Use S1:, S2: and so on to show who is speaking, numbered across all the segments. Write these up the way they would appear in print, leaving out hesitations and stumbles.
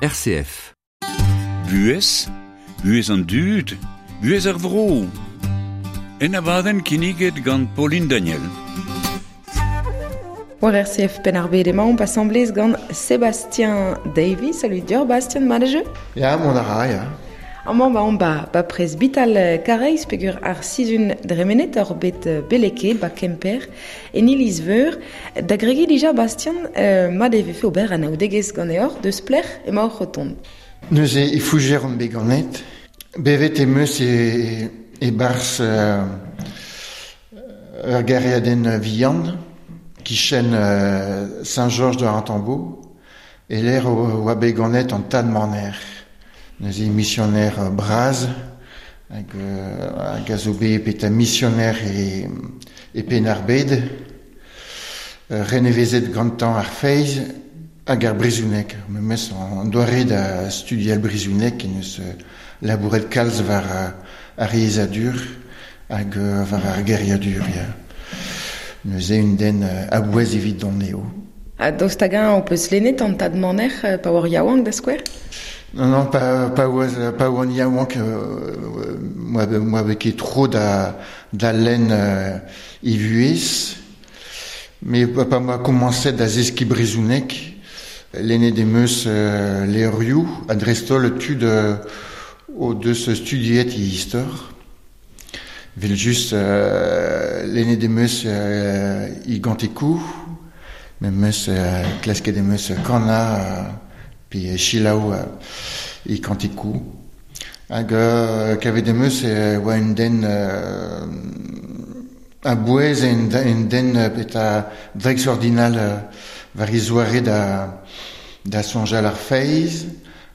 S1: RCF.
S2: Buhez, buhez an dud, buhez ar vro. En abadenn kinniget gant Pauline Daniel.
S3: War RCF Penn-ar-Bed emaomp asambles gant Sébastien Davies. Salut deoc'h, Bastien, mat
S4: Ya, mont a ra, ya.
S3: Amañ ba omp ba, ba presbital Kareiz peogwir ar sizhun dremenet oc'h bet beleket ba Kemper en iliz-veur. Da gregiñ dija, Bastien, mat e vefe ober anaoudegezh ganeoc'h deus pelec'h emaoc'h o tont.
S4: Neuze e Fougères on bet ganet. Bevet em eus e, e-barzh ur gêriadenn vihan, kichen Saint-Georges de Rantambeau, e-lec'h oa bet ganet an tad Maner. Neuze misioner bras hag, hag a zo bet peta misioner e, e Penn-ar-Bed, renevezet gantañ ar feiz hag ar brezhoneg. Memes an doare da studial brezhoneg en deus labouret kalz war ar yezhadur hag war ar geriadur. Ya. Neuze un den a-bouez evidon eo.
S3: Ha daoust hag-eñ ho peus lennet an tad Maner pa oar yaouank da skouer?
S4: Non, non, pa, pa, oaz, pa oan yaouank, moa, moa bet ket tro da, da lenn e vuhez. Mais pa, pa moa komañset da zeskiñ brezhoneg, lennet em eus levrioù, ha dreist-holl tud o deus studiet e istor. Evel-just, lennet em eus e gantekoù, memes klasket em eus kanañ pe selaou e kantekoù. Hag kavet em eus e oa un den a-bouez, un den petra dreistordinal war e zoare da, da soñjal ar feiz,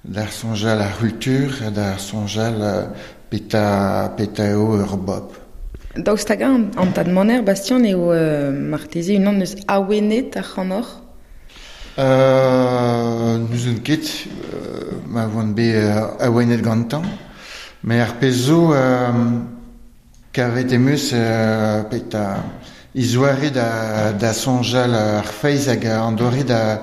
S4: da soñjal ar c'hultur, da soñjal petra, petra eo ur bobl.
S3: Daoust hag-eñ an tad Maner, Bastien, eo marteze unan eus awenet ac'hanoc'h?
S4: N'ouzon ket ma oan bet awenet gantañ, met ar pezh zo kavet em eus petra e zoare da, da soñjal ar feiz hag an doare da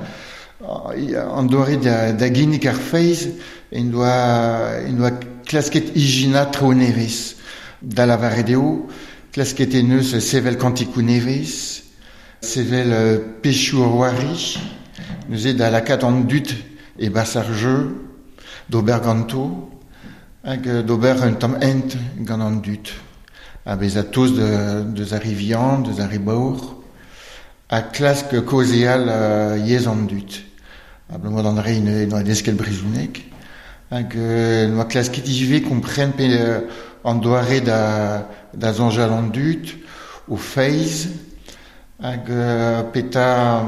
S4: an doare da, da ginnig ar feiz en doa, en doa klasket ijinañ traoù nevez. Da lavaret eo, klasket en deus sevel kantikoù nevez, sevel pezhioù c'hoari, neuze da lakaat an dud e-barzh ar jeu, d'ober ganto, hag d'ober un tamm hent gant an dud. Ha bezañ tost deus ar re vihan, deus ar re baour, ha klask kaozeal yezh an dud. Abalamour d'an re ne doa desket brezhoneg. Hag noa klasket ivez kompren pe an doare da, da soñjal an dud, o feiz, hag petra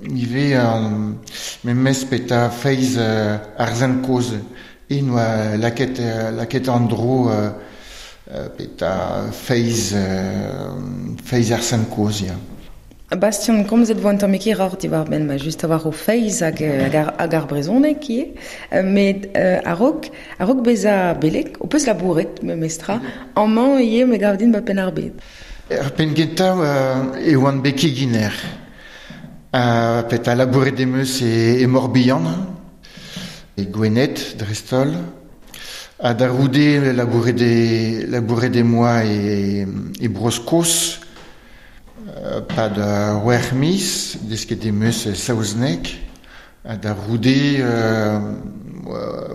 S4: ivez memes petra feiz ar sent kozh. E noa lakaet, lakaet an dro petra feiz, feiz ar sent kozh, ya.
S3: Bastien, komzet vo un tammig hiroc'h diwar-benn ma just a-walc'h ho feiz hag, hag, ar, hag ar brezhoneg ivez. Met a-raok, a-raok bezañ beleg, ho peus labouret memestra, amañ ivez me gav din ba Penn-ar-Bed.
S4: Er penn kentañ e oan bet keginer. Petra labouret em eus e, e Morbihan, e Gwened dreist-holl. Ha da c'houde labouret e, labouret em boa e, e Bro-Skos, Pad c'hwec'h miz, desket em eus saozneg, ha da c'houde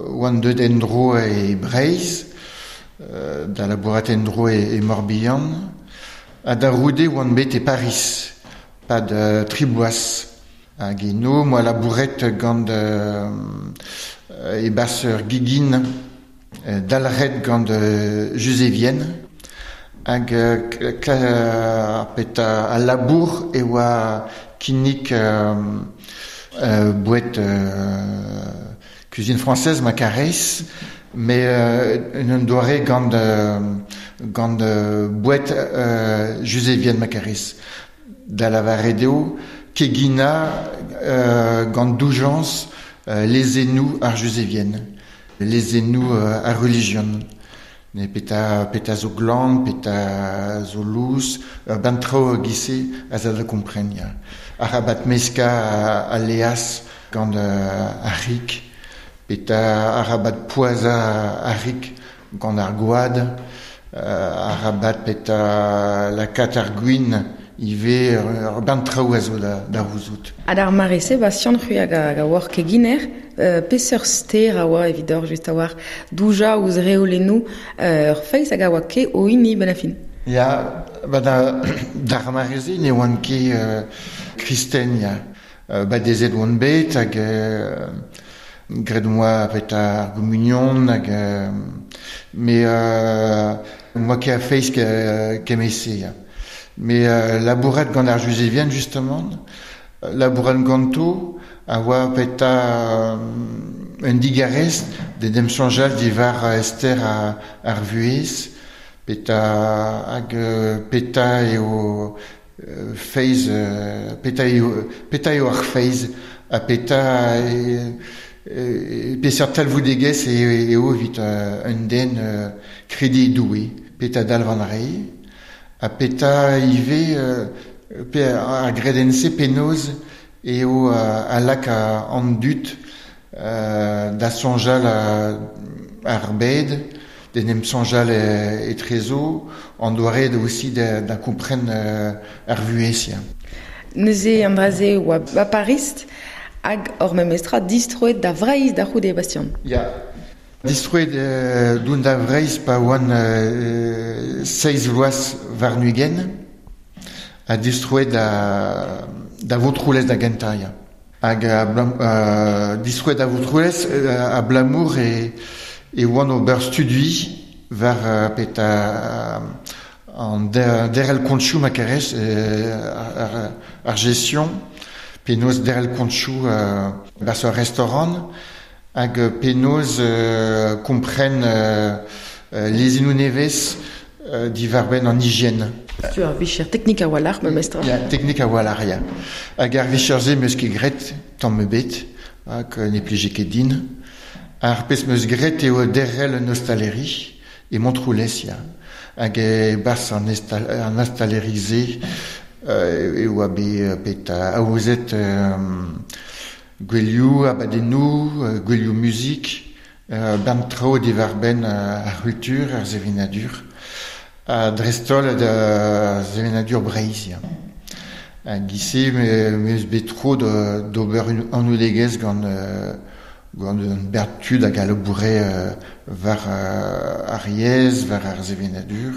S4: oan deuet en-dro e Breizh, da labourat en-dro e Morbihan, ha da c'houde oan bet e Pariz, pad tri bloaz. Hag eno 'm boa labouret gant e-barzh ur gegin dalc'het gant Juzevien hag petra al labour e oa kinnig boued cuisine française ma karez, met en un doare gant gant boued Juzevien ma karez. Da lavaret eo keginañ gant doujañs lezennoù ar Juzevien, lezennoù ar relijion. Ne petra, petra zo glan, petra zo lous, ur bern traoù e-giz-se a za da kompren, ya. Arabat meskañ al laezh gant ar c'hig, Peta arabat poaza ar rik gant ar gwad, arabat peta lakaat ar gwin ivez ur bern traoù a zo da c'houzout.
S3: Ha d'ar mare-se, Bastian, c'hwi hag a oar keginer, peseurt ster a oa evidoc'h just a-walc'h doujañ ouzh reolennoù ur feiz hag a oa ket o hini benn ar fin?
S4: Ya, ba d'ar mare-se ne oan ket kristen, ya. Badezet oan bet hag graet 'moa peta ar gomunion hag me 'moa ket a feiz kement-se, ya. Me labourat gant ar Juzevien justement, labourat ganto a oa peta un digarez d'en em soñjal diwar ster ar vuhez, peta hag peta eo feiz, peta eo peta eo ar feiz ha peta peseurt talvoudegezh eo evit un den krediñ e Doue, peta dalv an re. Ha petra ivez pe ar gredenn-se penaos eo a laka an dud da soñjal ar bed, d'en em soñjal etrezo, an doare aussi da kompren ar vuhez.
S3: Neuze an dra-se oa ba Pariz hag hor memestra distroet da Vreizh da c'houde, Bastian.
S4: Ya. Distroet doun da Vreizh pa oan seizh vloaz warn-ugent ha distroet da Vontroulez da gentañ, ya. Hag distroet da Vontroulez abalamour e oan ober studi war petra an derc'hel kontioù ma kerez, ar gestion, penaos derc'hel kontioù barzh ur restaurant. Hag penaos kompren lezennoù nevez diwar-benn an higien.
S3: Tu ar vicher teknik a-walc'h memestra.
S4: Ya, teknik a-walc'h, ya. Hag ar vicher-se 'm eus ket graet tamm ebet, hag ne plije ket din. Ar pezh 'm eus graet eo derc'hel un ostaleri e Montroulez, ya. Hag e-barzh an ostaleri-se e oa bet aozet Gouelioù, abadennoù, gouelioù muzik, bern traoù diwar-benn ar c'hultur, ar sevenadur, ha dreist-holl da sevenadur Breizh. Ya. Hag ise me eus bet tro d'ober anaoudegezh gant gant un bern tud hag a laboure war ar yezh, war ar sevenadur,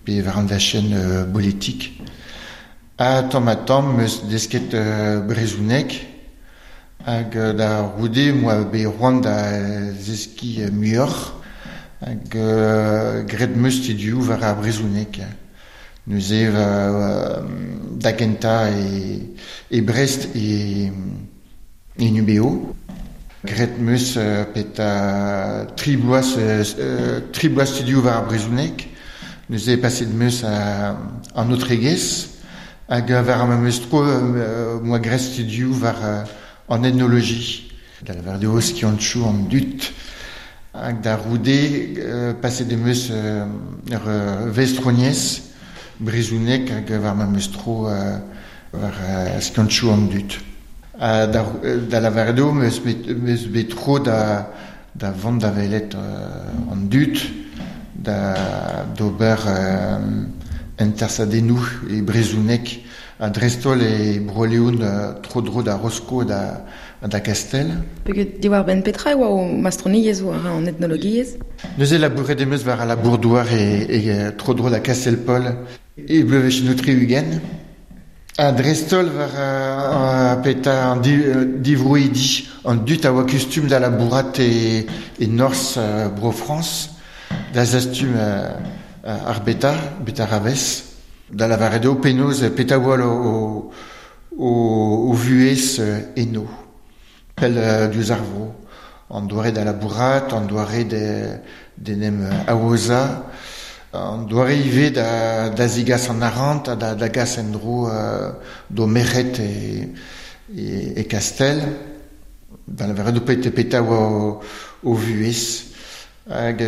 S4: pe war an dachenn politik. Ha tamm-ha-tamm 'm eus desket brezhoneg hag da c'houde 'm boa bet c'hoant da zeskiñ muioc'h hag graet 'm eus studioù war ar brezhoneg. Neuze da gentañ e Brest e UBO. Graet 'm eus petra tri bloaz tri bloaz studioù war ar brezhoneg. Neuze paset 'm eus an aotregezh hag war ar memes tro 'm boa graet studioù war an etnoloji. Da lavaret eo skiantoù an dud. Hag da c'houde paset em eus ur vestroniezh brezhoneg hag war memes tro war skiantoù an dud. Ha da lavaret eo 'm eus bet tro da vont da welet an dud, d'ober entersadennoù e brezhoneg ha dreist-holl e Bro-Leon tro-dro da Rosko ha da Gastell.
S3: Peget diwar-benn petra e oa ho mastroniezh war an etnologiezh?
S4: Neuze labouret em eus war al labour-douar e tro-dro da Kastell-Paol e bloavezhioù 60. Ha dreist-holl war petra an divroidi, an dud a oa kustum da labourat e norzh Bro-Frañs, da zastum ar beta, betaravez, da lavaret eo penaos petra oa o vuhez eno, pell diouzh ar vro. An doare da labourat, an doare d'en em aozañ, an doare ivez da zegas an arc'hant ha da gas en-dro d'o merc'hed e Kastell, da lavaret eo petra oa o vuhez. Hag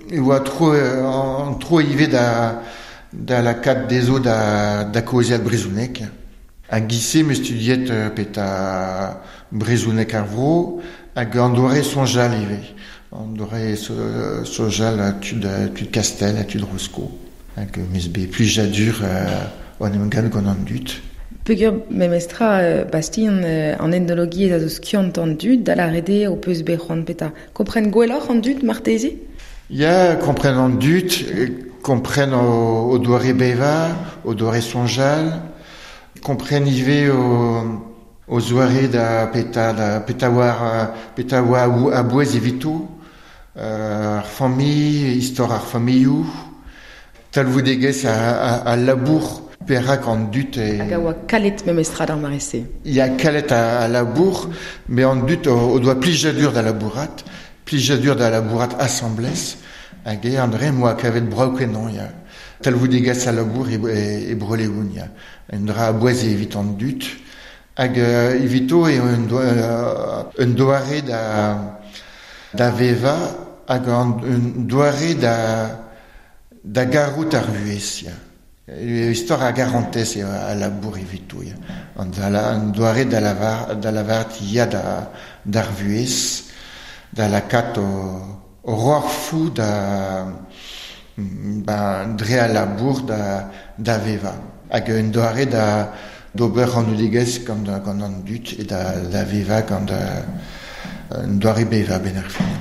S4: e oa tro an tro ivez da lakaat dezho da kaozeal brezhoneg. Hag ise me studiet peta brezhoneg ar vro hag an doare soñjal ivez. An doare soñjal tud Kastel ha tud Rosko. Hag meus bet plijadur oan em gant gant an dud.
S3: Peogwir memestra Bastien an etnologiezh a zo skiant an dud, da lâret eo ho peus bet c'hoant peta. Kompren gwelloc'h an dud marteze?
S4: Ya, kompren an dud, kompren o doare bevañ, o doare soñjal, kompren ivez o zoare da peta da peta war peta oa a-bouez evito, ar familh, istor ar familhoù, talvoudegezh al labour. Perak an dud e...
S3: Hag a oa kalet memestra d'ar mare-se.
S4: Ya, kalet a labour, met an dud o doa plijadur da labourat, plijadur da labourat asambles, hag eo an dre m'oa kavet brav kenañ, ya. Talvoudegezh a labour e Bro-Leon, ya. Un dra a-bouez evit an dud, hag evito eo un doare da vevañ hag un doare da garout ar vuhez, ya. Istor a garantez eo a labour evito, ya. An doare da lavaret ya d'ar vuhez, da lakaat o roarfoù da dre al labour da vevañ. Hag un doare da d'ober anaoudegezh gant an dud e da vevañ gant un doare bevañ benn ar fin.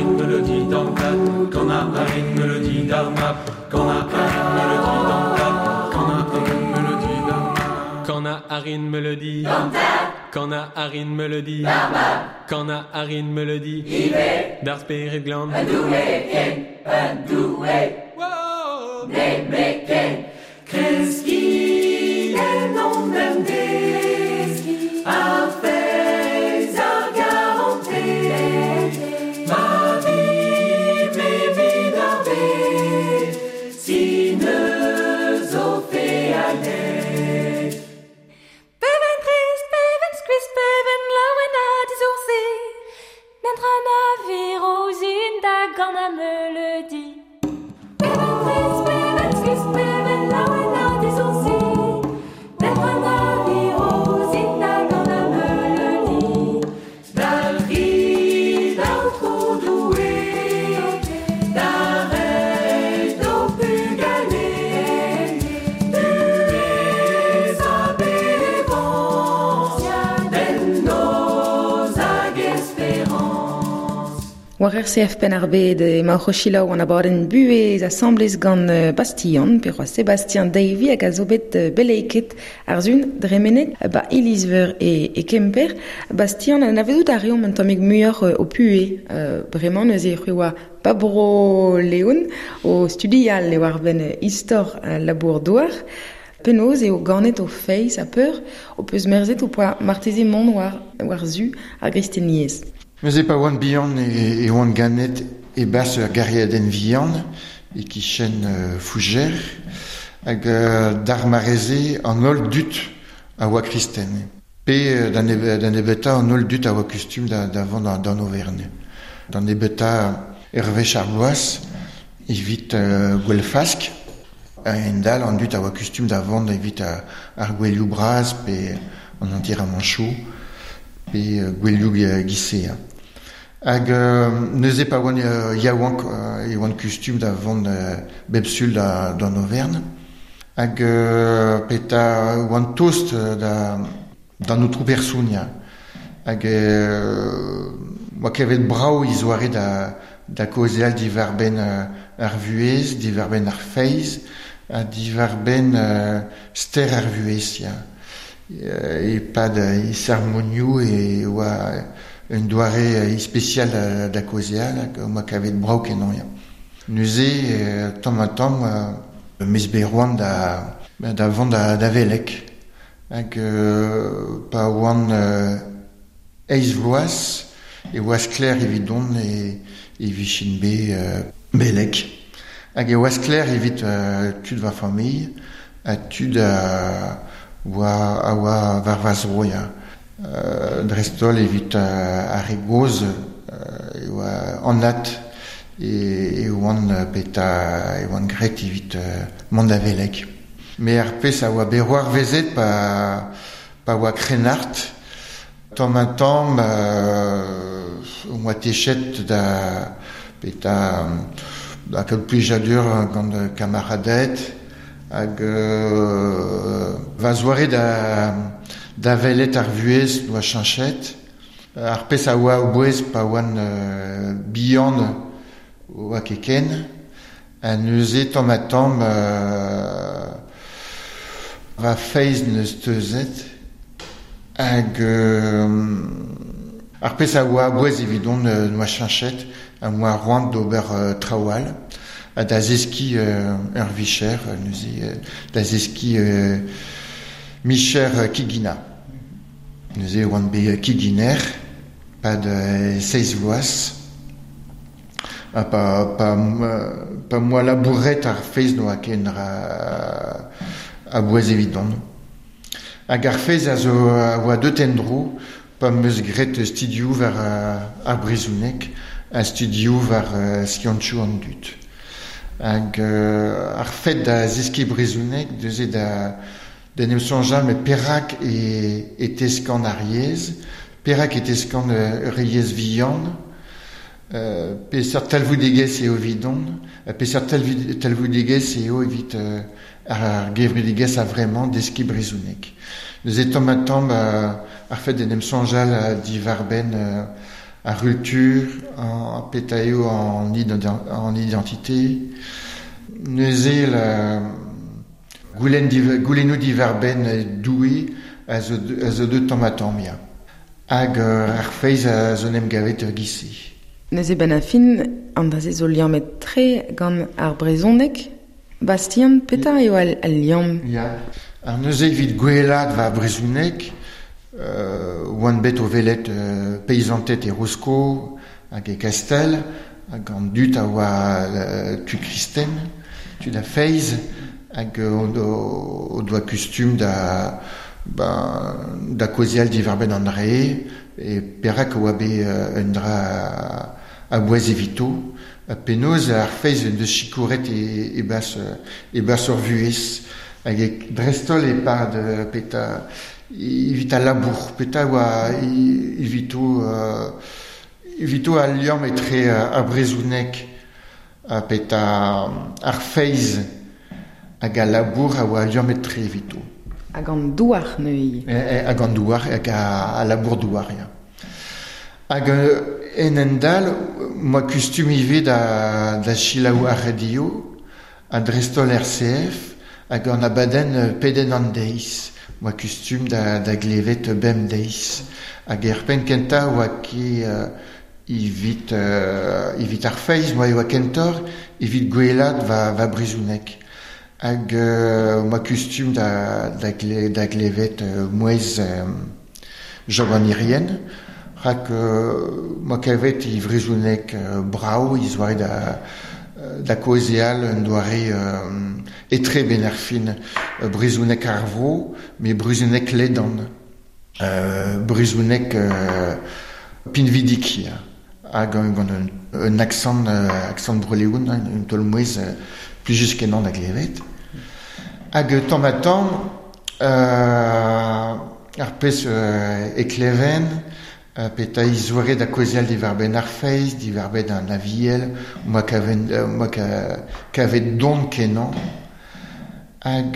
S1: arin melodi d'an tad, Gant a arin melodi d'ar map, Gant a arin melodi d'an tad, Gant a arin melodi d'ar map.
S5: Gant a arin melodi d'an tad, Gant a arin melodi d'ar map, Gant a arin melodi ivez d'ar spered glan.
S6: Un doue ken, un doue, nemetken. Kreski en hon bemdez, ar feiz ar garantez, ma vimp evit ar bed, sin eus o fealded.
S7: Beven trist, beven skuizh, beven laouen ha dizoursi, Nentra na viro ouzhin da ganañ meuleudi. Beven trist, beven skuizh, beven laouen ha dizoursi, Nentra na viro ouzhin da ganañ meuleudi.
S6: Dalc'hit, Aotrou Doue, da reiñ d'ho pugale, buhez ha bevañs, bemnoz hag esperañs.
S3: War RCF Penn-ar-Bed emaoc'h o selaou an abadenn buhez asambles gant Bastian, pe c'hoazh Sébastien Davy hag a zo bet beleiket ar sun dremenet ba Iliz-Veur e Kemper. Bastian, anavezout a reomp un tammig muioc'h o puez. Bremañ neuze c'hwi oa ba bro Leon o studial eo ar benn istor labour douar. Penaos eo ganet o feiz ha peur o peus merzet o poa marteze mont war zu ar gristeniezh.
S4: Neuze pa oan bihan e oan ganet e bas ur gariadenn vihan e kichen Fougères hag d'ar mareze an holl dud a oa kristen. Pe d'an nebeta an holl dud a oa kustum da vont d'an Auvergne. D'an nebeta Hervé ar bloaz evit gwell fask en dal an dud a oa kustum da vont evit ar gwellioù bras pe an enterramanchoù pe gwellioù gisea. Hag neuze pa oan yaouank e oan kustum da vont bep sul d'an Auvergne. Hag peta oan tost d'an aotrou person ya. Hag oa kevet brav izoare da kaozeal diwar-benn ar vuhez, diwar-benn ar feiz, ha diwar-benn ster ar vuhez ya. E-pad e sermonioù e oa un doare ispecial da kaozeal hag oa kavet brav kenañ ya. Neuze tamm ha tamm mez bet roan da vont da velek. Hag pa oan eizh vloaz e oa sklaer evidon e vichen bet belek. Hag e oa sklaer evit tud va familh ha tud a oa war va zro ya. Dreist-holl evit ar re gozh e oa anat e oan peta e oan graet evit mont da velek. Me ar pezh a oa bet c'hoarvezet pa oa krennard, tamm ha tamm oa techet da peta da kaout plijadur gant kamaraded hag va zoare da welet ar vuhez doa cheñchet. Ar pezh a oa o-bouez pa oan bihan oa keken. Ha neuze tamm ha tamm va feiz neus teuzet. Hag ar pezh a oa a-bouez evidon noa cheñchet ha moa roant d'ober traoù all. Ha da zeskiñ ur vicher, neuze da zeskiñ micher kigina. Neuze oan bet kiginer, pad seizh vloaz. Ha pa moa labouret ar feiz noa ken a-bouez evidon. Hag ar feiz a zo a oa deut en-dro pa 'm eus graet studioù war ar brezhoneg ha studioù war skiantoù an dud. Hag ar fed da zeskiñ brezhoneg neuze da en em soñjal met perak e teskan ar yezh, perak e teskan ur yezh vihan, peseurt talvoudegezh eo evidon, peseurt talvoudegezh eo evit ar gevredigezh a vremañ deskiñ brezhoneg. Neuze tamm ha tamm ar fed en em soñjal diwar-benn ar cultur, an peta eo an identité. Neuze la goulennoù divarben doue a zo deut tamm ha tamm, ya. Hag ar feiz a zo n'em gavet ur gise.
S3: Neuze ben a fin, an dra-se zo liammet tre gant ar brezhoneg. Bastien, petra eo al liamm?
S4: Ya. Ar neuze evit gwelat va brezhoneg, oan bet o velet paysantet e Rosko hag e Kastel, hag an dud a oa tud kristen, tud a feiz, hag o doa kustum da da kozial divarben an re, e perak oa bet un dra a boaz evito, penaos ar feiz en deus chikouret e bas ur vuhez, hag e drestol e pad peta evit a labour, peta oa evito al liamm etre ar brezhoneg peta ar feiz hag a labour a oa liamm etre evito.
S3: Hag an douar neuze.
S4: Hag an douar, hag a labour douar, ya. Hag en endal, moa kustum ivez da chilaou ar radio, a drestol RCF, hag an abadenn peden an deiz. Moa kustum da glevet bem deiz. Hag er penn kentañ oa ket evit ar feiz, moa oa kentor, evit gwelat va brezhoneg. Hag moa kustum da glevet mouez Job an Irien, rak moa kavet e brezhoneg brao, iz oare da kozeal un doare etre ben ar fin brezhoneg ar vro, met brezhoneg ledan. Brezhoneg pinvidik, ya. Hag gant un accent breléoun, un taol mouez plijus kenan da glevet. Hag tamm ha tamm, ar pezh e kleven, peta izoare da kozeal divarben ar feiz, divarben an aviel, moa kavet don kenan. Hag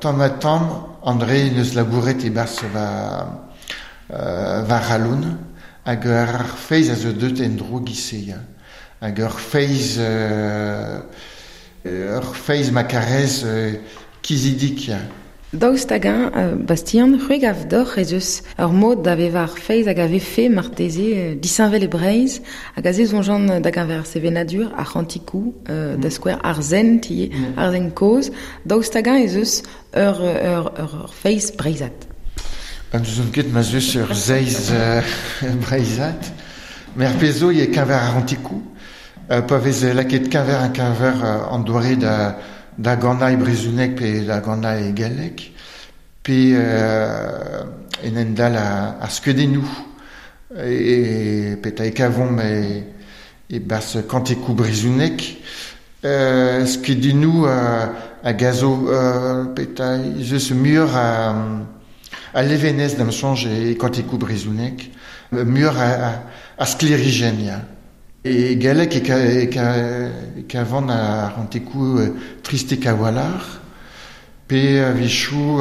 S4: tamm ha tamm, André neus labouret e bas va raloun, hag ar feiz a zo deut en dro gise, ya. Hag ur feiz ma karez kizidik, ya.
S3: Daoust hag-eñ, Bastien, c'hwek av doc'h ez eus ur mod da vevañ ar feiz hag a vefe marteze disheñvel e Breizh, hag a se soñjan da geñver ar sevenadur, ar c'hantikoù, da skouer ar sent, ar sent kozh. Daoust hag-eñ ez eus ur feiz breizhat?
S4: An eus ket ma zeus ur zeiz breizhat. Mer pezh zo e keñver ar c'hantikoù, pa vez lakaet keñver an keñver an doare da gannañ e brezhoneg pe da gannañ e galleg, pe en endal ar skeudennoù, e peta e kavomp e bas kantikoù brezhoneg, skeudennoù a gazo peta ez eus muioc'h a levenez da'm soñj e kantikoù brezhoneg, muioc'h a sklerijenn, ya. E galleg e kavan ar c'hantikoù tristek a-walc'h, pe a-wechoù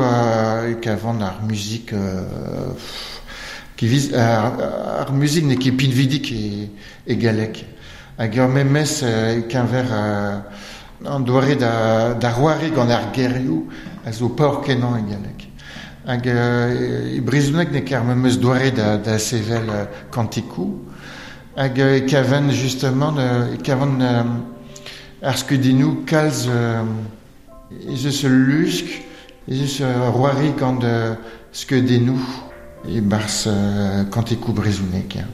S4: e kavan ar muzik ar muzik n'eo ket pinvidik e galleg. Hag ur memes e keñver an doare da roare gant ar gerioù a zo paour-kenañ e galleg. Hag e brezhoneg n'eo ket ar memes doare da sevel kantikoù. Hag e kavan justement e kavan ar skeudennoù kalz ez eus ul lusk, ez eus ur roare gant skeudennoù e barzh kantikoù brezhoneg.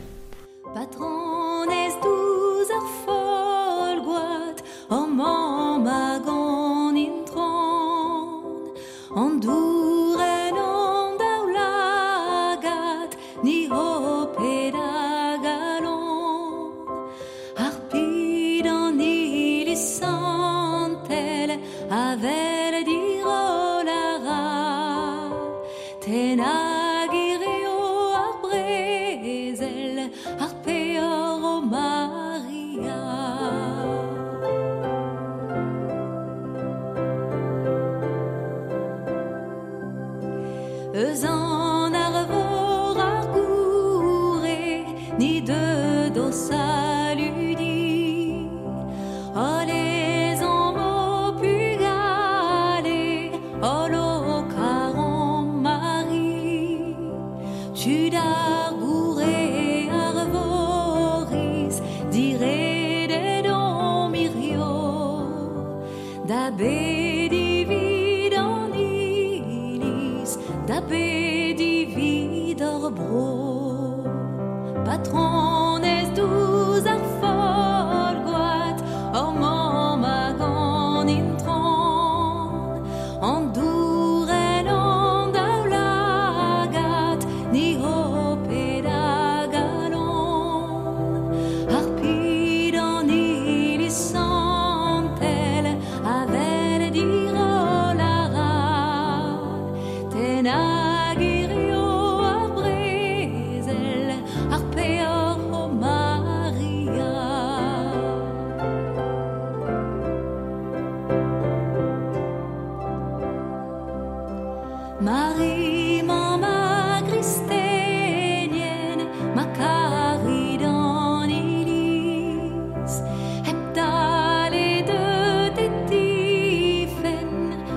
S7: Patronez douz ar folgoad, hor mamm hag an intron, an dourenn an daoulagad, ni ho ped a galon. Ar pid an iliz santel, avel dirol a ra, tenag ireo ar brezel, ar peor o Maria. Eus an ar vor ar goure, Diredet on mirio Da bedi vid an iliz Da bedi vid ar bro Patronez douz ar folgoat Or mamm hag an intron An douren an daoulagad Ni ho ped a galon Ar pid an iliz santel Avel dirol a ra Ten hag hirio ar brezel Ar peoc'h o Maria. Marie, mamm a gristenien, ma karit an iliz, hep dale deut e tifen,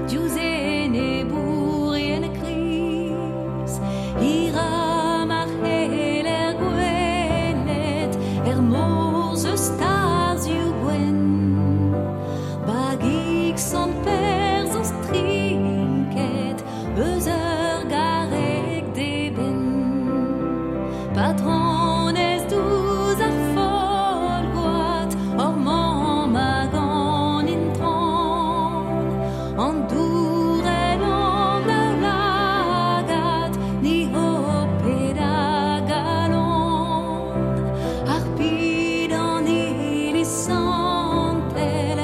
S7: diouzh enebourien kriz. Hira ma c'heller gwelet, er mor zeus tarzhioù gwenn. Bagig sant Per zo strinket, eus ur garreg d'eben. Patronez douz ar folgoat, hor mamm hag an intron, an douren an daoulagad, ni ho ped a galon. Ar pid an iliz santel,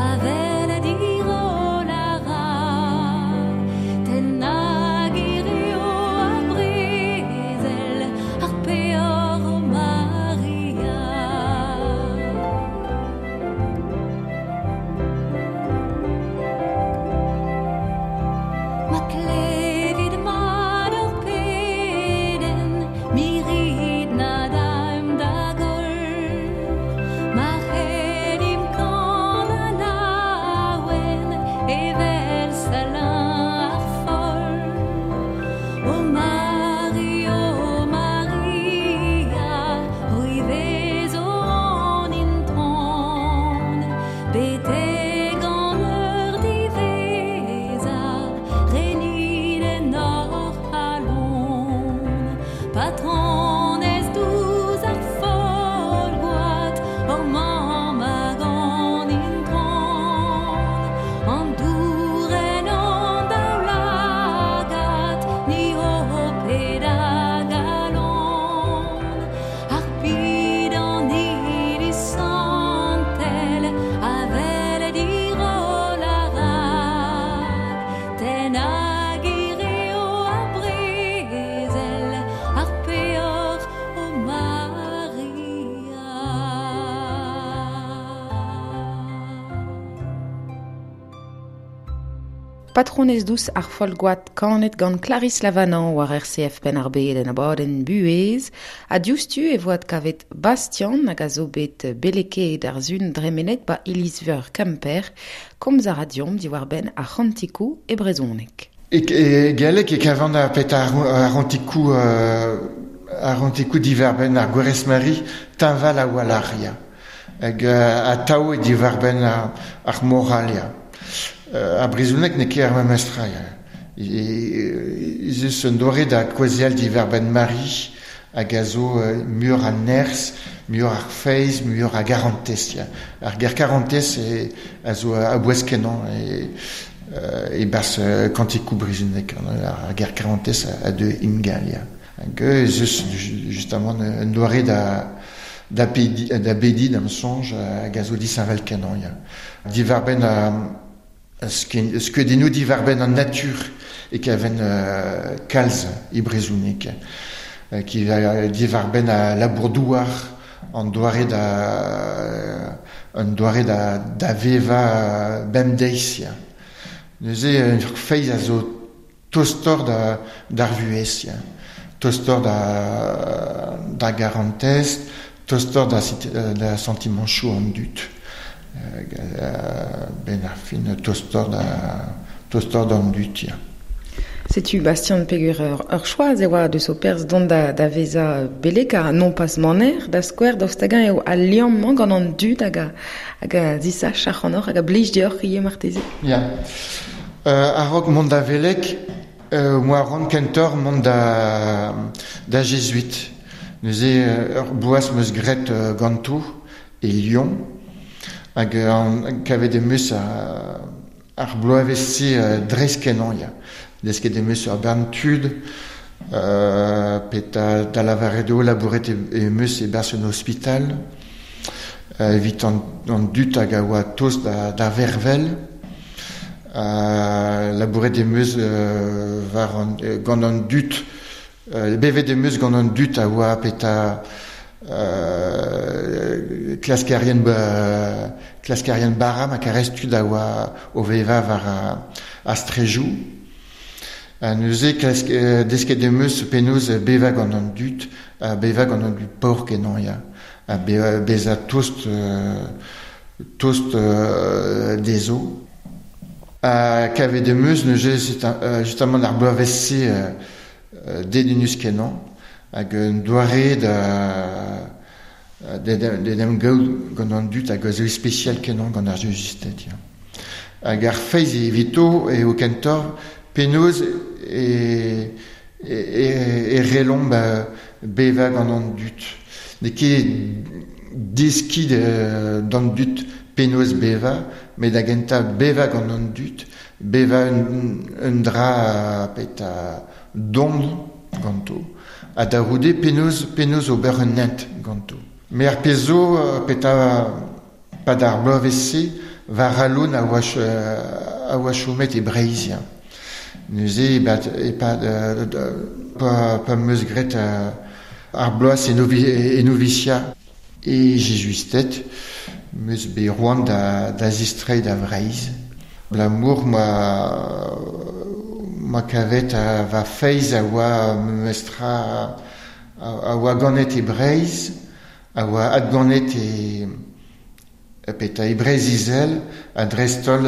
S7: avel dirol a ra, ten hag hirio ar brezel, ar peoc'h o Maria. Ma klevit mat ur pedenn, mirit na daimp da goll. Ma c'hellimp kana laouen, evel Salin ar foll. O Mari, o Maria, c'hwi vezo an intron, betek an eur diwezhañ, renit en hor c'halon. Patronez douz ar folgoat, hor mamm hag an intron, an douren an daoulagad, ni ho ped a galon. Ar pid an iliz santel, avel dirol a ra, ten hag hirio ar brezel, ar peoc'h o Maria.
S3: Patronez dous ar folgoat kanet gant Clarisse Lavanant war RCF Penn ar Bed en abadenn buhez, ha diouzhtu e voad kavet Bastian hag a zo bet beleket ar zun dremenet ba iliz-veur Kemper, komz a ra deomp diwar-benn ar c'hantikoù e brezhoneg.
S4: E galleg e kavan a pet ar c'hantikoù diwar-benn ar Gwerc'hez Mari teñval a walc'h, ya. Hag atav e diwar-benn ar moral, ya. Ar brezhoneg n'eo ket ar memes tra, ya. Ez eus un doare da kaozeal diwar-benn Mari hag a zo muioc'h a nerzh, muioc'h ar feiz, muioc'h a garantez, ya. Ar ger karantez a zo a-bouez kenañ e barzh kantikoù brezhoneg, ar ger karantez a deu ingal, ya. Hag ez eus justement un doare da bedi da'm soñj hag a zo disheñvel kenañ, ya. Diwar-benn skeudennoù diwar-benn an natur e kaven kalz e brezhoneg, ki diwar-benn a labour-douar, an doare da vevañ bemdeiz, ya. Neuze ur feiz a zo tostor d'ar vuhez, ya. Tostor da garantez, tostor da sentimanchoù an dud. Ben ar fin tostor d'an dud, ya.
S3: Setu Bastien Pegur ur choaz e oa deus o perzh dont da vezañ belek a non pas maner da skouer daoust hag-eñ eo al liamm-mañ gant an dud hag a zisach ac'hanoc'h hag a blij deoc'h ivez marteze.
S4: Ya. A-raok mont da velek, moa ran kentoc'h mont da jezuit. Neuze ur bloaz 'm eus graet ganto e Lyon hag kavet em eus ar bloavezh-se dreist-kenañ ya. Desket em eus ur bern tud, pe da lavaret eo labouret em eus e-barzh un ospital evit an dud hag a oa tost da vervel. Labouret em eus war an, gant an dud, bevet em eus gant an dud a oa petra klaskerien bara ma karez tud a oa o vevañ war ar strejoù. Ha neuze desket em eus penaos bevañ gant an dud, ha bevañ gant an dud paour-kenañ ya. Ha bezañ tost dezho. Ha kavet em eus neuze justement ar bloavezh-se dedennus-kenañ hag un doare da d'en em gaout gant an dud hag a zo ispisial-kenañ gant ar jezusted ya. Hag ar feiz evito eo kentoc'h penaos e relomp bevañ gant an dud. N'eo ket deskiñ d'an dud penaos bevañ, met da gentañ bevañ gant an dud, bevañ un dra petra don ganto, ha da c'houde penaos ober un hent ganto. Met ar pezh zo petra pad ar bloavezh-se war Alon a oa chomet e Breizh. Neuze e-pad pa 'm eus graet ar bloaz e novisia e Jezuisted, 'm eus bet c'hoant da zistreiñ da Vreizh. Abalamour ma kavet va feiz a oa memestra a oa ganet e Breizh, a oa adganet e petra e Breizh-Izel ha dreist-holl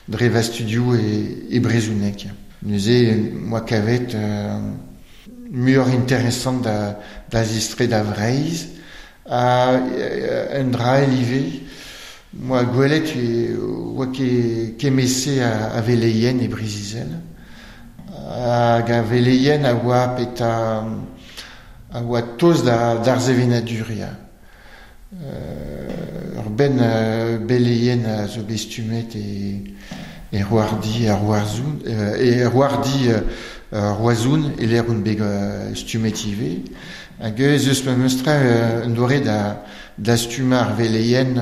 S4: dre va studioù e brezhoneg. Neuze 'm boa kavet muioc'h interesant da zistreiñ da Vreizh ha un dra all ivez 'm boa gwelet oa kement-se a veleien e Breizh-Izel hag a veleien a oa petra a oa tost d'ar sevenadur ya. Ur benn beleien a zo bet stummet e Roardi ar Roazhon e Roardi Roazhon e-lec'h on bet stummet ivez. Hag ez eus memestra un doare da stummañ ar veleien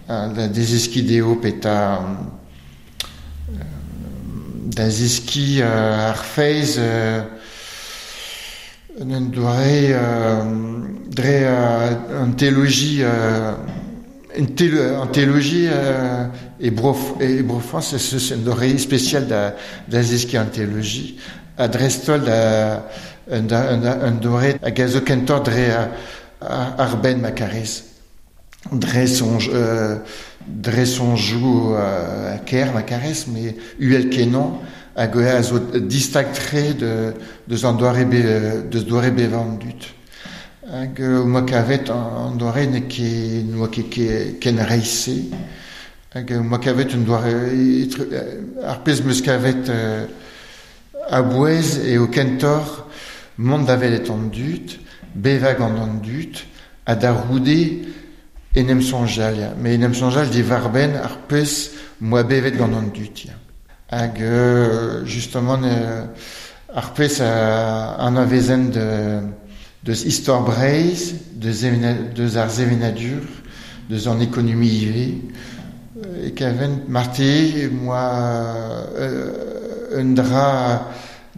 S4: da zeskiñ dezho petra da zeskiñ ar feiz un doare dre an teoloji an teoloji e Bro-Frañs ez eus un doare spesial da zeskiñ an teoloji ha dreist-holl un doare hag a zo kentoc'h dre ar benn ma karez. Dre soñjoù kaer ma karez, met uhel-kenañ hag a zo distag-tre deus an doare deus doare bevañ an dud. Hag 'moa kavet an doare n'eo ket n'oa ket ken reizh-se. Hag 'moa kavet un doare ar pezh 'm eus kavet a-bouez eo kentoc'h mont da welet an dud, bevañ gant an dud, ha da c'houde en em soñjal ya. Met en em soñjal diwar-benn ar pezh 'moa bevet gant an dud ya. Hag justement ar pezh a anavezen deus istor Breizh, deus ar sevenadur, deus an ekonomi ivez, e kaven marteze 'moa un dra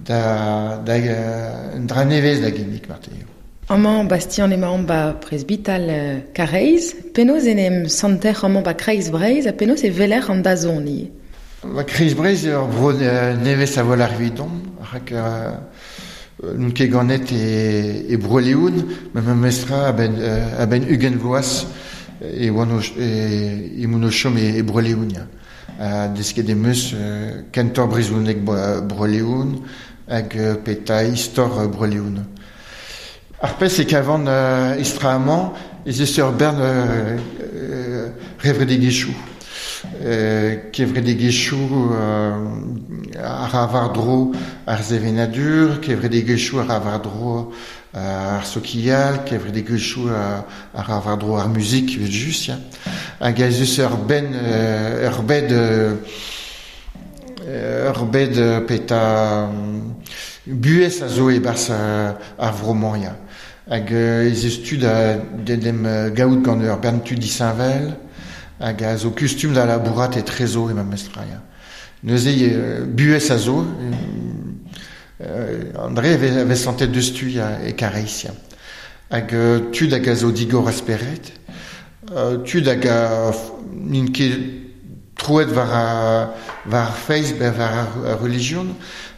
S4: un dra nevez da ginnig marteze.
S3: Amañ Bastien emaomp ba presbital Karaez. Penaos en em santer amañ ba Kreiz Breizh ha penaos e weler an dazont ivez?
S4: Ba Kreiz Breizh eo ur vro nevez a-walc'h evidon, rak n'on ket ganet e Bro-Leon, met memestra a-benn 20 vloaz e oan o chom e Bro-Leon ya. Desket em eus kentor brezhoneg Bro-Leon hag peta istor Bro-Leon. Ar pezh e kavan istra-amañ ez eus ur bern revredigezhioù. Kevredigezhioù a ra war-dro ar sevenadur, kevredigezhioù a ra war-dro ar sokial, kevredigezhioù a ra war-dro ar muzik evel-just, ya. Hag ez eus ur benn ur bed ur bed peta buhez a zo e-barzh ar vro-mañ, ya. Hag ez eus tu da d'en em gaout gant ur bern tud disheñvel hag a zo kustum da labourat etrezo e memestra, ya. Neuze buhez a zo, André a vez santet deus tu ya, e Karaez, ya. Hag tud hag a zo digor a spered, tud hag a n'int ket troet war ar feiz, war ar relijion,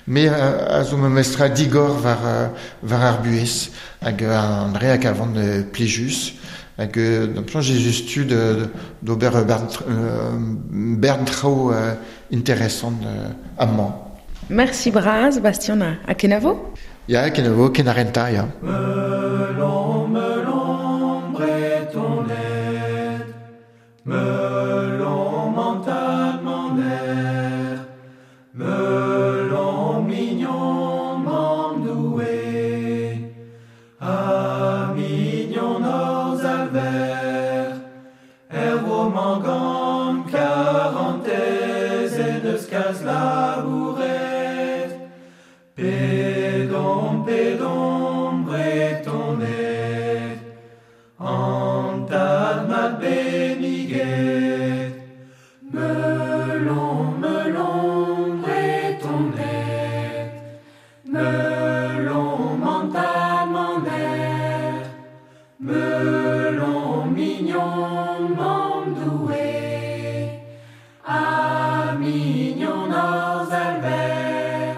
S4: me a zo memestra digor war ar buhez hag André hag a van plijus hag d'am soñj ez eus tu d'ober bern traoù interesant amañ.
S3: Merci bras, Bastien, ha kenavo?
S4: Ya, kenavo, kenarenta, ya.
S1: Melon, melon, bretoned, melon, mentad, maner, melon, mignon, mamm Doue, ha mignon hor Zalver, er roman gant karantez en deus kalz labouret. Pedon, pedon, bretoned, an tad mat benniget. Melon, melon, bretoned, melon, mentad, maner, melon, mignon, mamm Doue, ha mignon hor Zalver,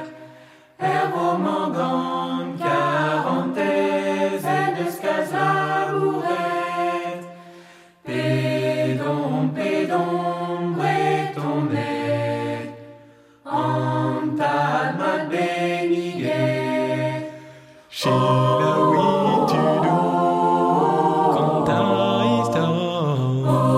S1: er roman gant karantez en deus kalz labouret. Pedon, pedon, bretoned, an tad mat benniget.
S5: Selaouit tudoù, kontañ istor.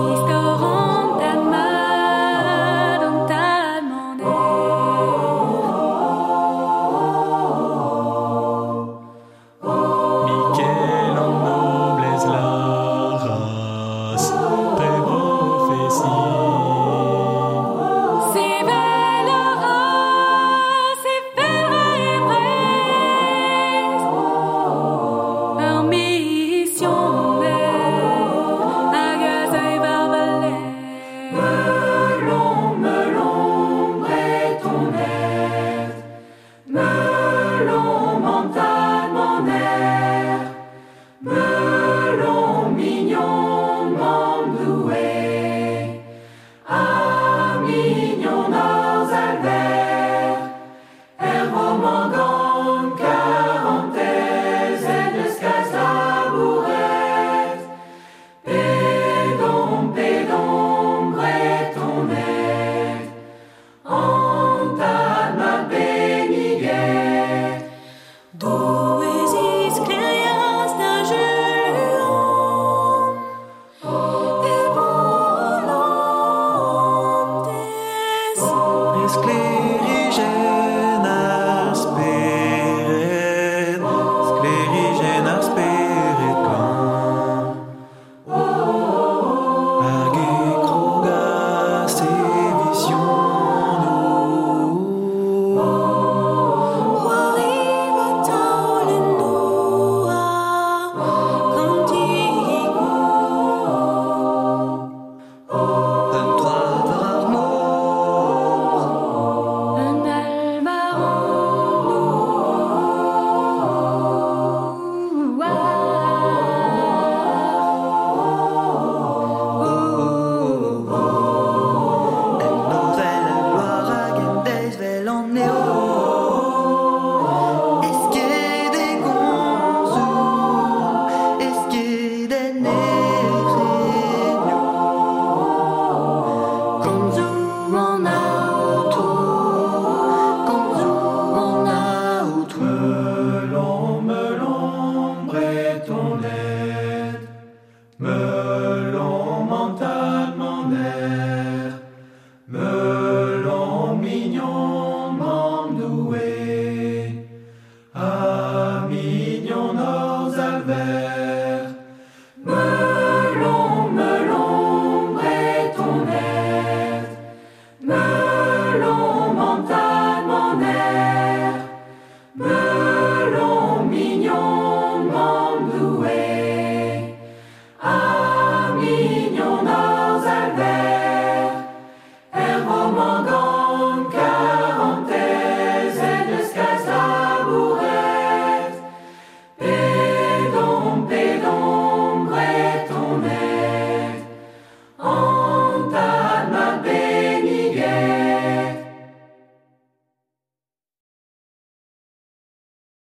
S1: Me